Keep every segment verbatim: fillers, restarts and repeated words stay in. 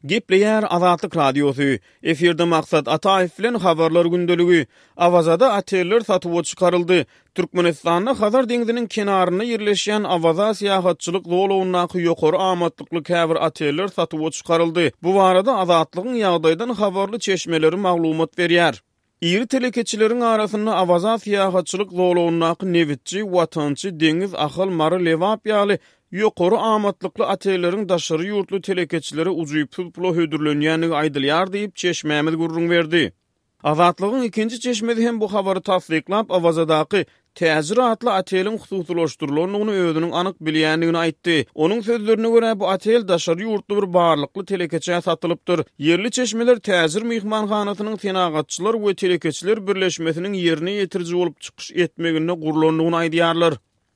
Gepleýär Azatlyk Radiosy. Efirde Maksat Ataýew bilen Habarlar gündeligi. Awazada oteller satuwa çykaryldy. Türkmenistanda Hazar deňziniň kenarynda ýerleşýän Awaza syýahatçylyk zolagyndaky ýokary amatlykly käbir oteller satuwa çykaryldy. Bu barada Azatlygyň ýagdaýdan habarly çeşmeleri maglumat berýär. Iri telekeçileriň arasynda Awaza syýahatçylyk zolagyndaky Nebitçi, Watançy, Deňiz, Ahal, Mary, Lebap ýaly ýokary amatlykly otelleriň daşary ýurtly telekeçilere ujypsyz pula hödürlenýändigi aýdylýar diýip, çeşmämiz gürrüň berdi. Azatlygyň ikinji çeşmesi hem bu habary tassyklap, Awazadaky Täjir atly oteliň hususylaşdyrylandygyny özüniň anyk bilýändigini aýtdy. Onuň sözlerine görä, bu otel daşary ýurtly bir barlykly telekeçä satylypdyr. Ýerli çeşmeler Täjir myhmanhanasynyň Senagatçylar we telekeçiler birleşmesiniň ýerine ýetiriji bolup çykyş etmeginde gurlandygyny aýdýarlar.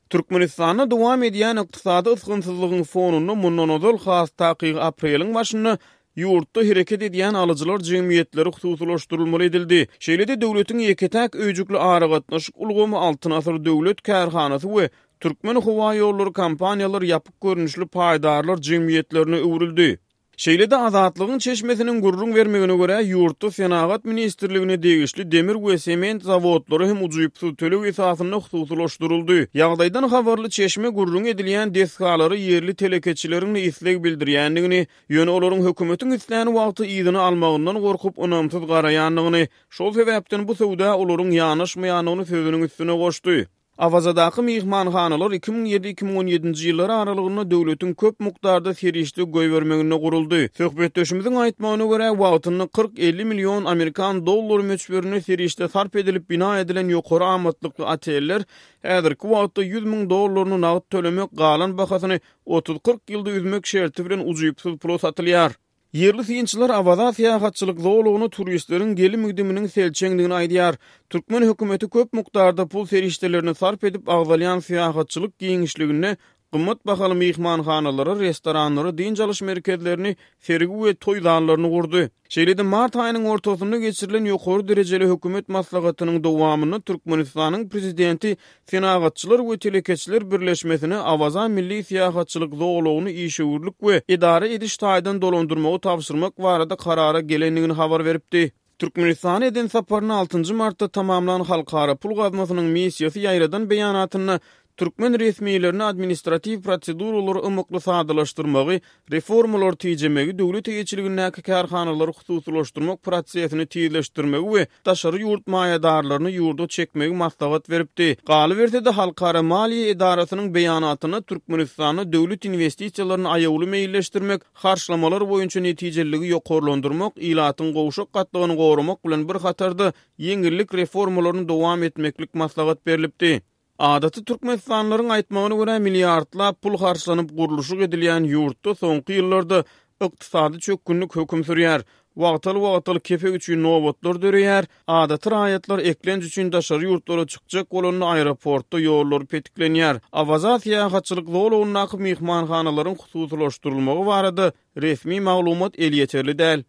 Türkmenistanda dowam edýän ykdysady ysgynsyzlygyň fonunda mundan ozal, has takygy apreliň başynda ýurtda hereket edýän alyjylar jemgyýetleri hususylaşdyrylmaly edildi. Şeýle-de döwletiň ýeke-täk öýjükli aragatnaşyk ulgamy Altyn asyr döwlet kärhanasy we Türkmenhowaýollary kompaniýalary ýapyk görnüşli paýdarlar jemgyýetlerine öwrüldi. Şeýle-de Azatlygyň çeşmesiniň gürrüň bermegine görä, ýurtda Senagat ministrligine degişli demir we sement zawodlary hem ujypsyz töleg esasynda hususylaşdyryldy. Ýagdaýdan habarly çeşme gürrüňi edilýän desgalara ýerli telekeçileriň-de isleg bildirýändigini, ýöne olaryň hökümetiň islän wagty yzyna almagyndan gorkup ynamsyz garaýandygyny, şol sebäpden bu söwda olaryň ýanaşmaýandygyny sözüniň üstüne goşdy. Awazadaky myhmanhanalar iki müň ýedi-iki müň on ýedinji ýyllar aralygynda döwletiň köp mukdarda serişde goýbermeginde guruldy. Söhbetdeşimiziň aýtmagyna görä, wagtynda kyrk-elli million amerikan dollary möçberinde serişde sarp edilip bina edilen ýokary amatlykly oteller häzirki wagtda ýüz müň dollaryny nagt tölemek, galan bahasyny otuz-kyrk ýylda üzmek şerti bilen ujypsyz pula satylýar. Ýerli synçylar Awaza syýahatçylyk zolagyna turistleriň gelim-gidiminiň selçeňdigini aýdýar. Türkmen hökümeti köp mukdarda pul serişdelerini sarp edip agzalýan syýahatçylyk giňişliginde gymmat bahaly myhmanhanalary, restoranlary, dynç alyş merkezlerini, sergi we toý zallaryny gurdy. Şeýle-de mart aýynyň ortasynda geçirilen ýokary derejeli hökümet maslahatynyň dowamynda Türkmenistanyň prezidenti Senagatçylar we telekeçiler birleşmesine Awaza milli syýahatçylyk zolagyny işewürlik we edara ediş taýdan dolandyrmagy tabşyrmak barada karara gelendigini habar beripdi. Türkmenistana eden saparyny altynjy martda tamamlan Halkara pul gaznasynyň missiýasy ýaýradan beýanatynda türkmen resmilerine administratiw proseduralary ymykly sadalaşdyrmagy, reformalary tijemegi, döwlet eýeçiligindäki kärhanalary hususylaşdyrmak prosesini tizleşdirmegi we daşary ýurt maýadarlaryny ýurda çekmegi maslahat beripdi. Galyberse-de, Halkara maliýe edarasynyň beýanatynda Türkmenistanda döwlet inwestisiýalaryny aýawly meýilleşdirmek, harçlamalar boýunça netijeliligi ýokarlandyrmak, ilatyň gowşak gatlagyny goramak bilen bir hatarda ýeňillik reformalaryny dowam etmeklik maslahat berlipdi. Adaty türkmenistanlylaryň aýtmagyna görä, milliardlap pul harçlanyp gurluşyk edilýän ýurtda soňky ýyllarda ykdysady çökgünlik höküm sürýär. Wagtal-wagtal kepek üçin nobatlar döreýär, adaty raýatlar eklenç üçin daşary ýurtlara çykjak bolanda aeroportda ýollar petiklenýär. Awaza syýahatçylyk zolagyndaky myhmanhanalaryň hususylaşdyrylmagy barada resmi maglumat elýeterli däl.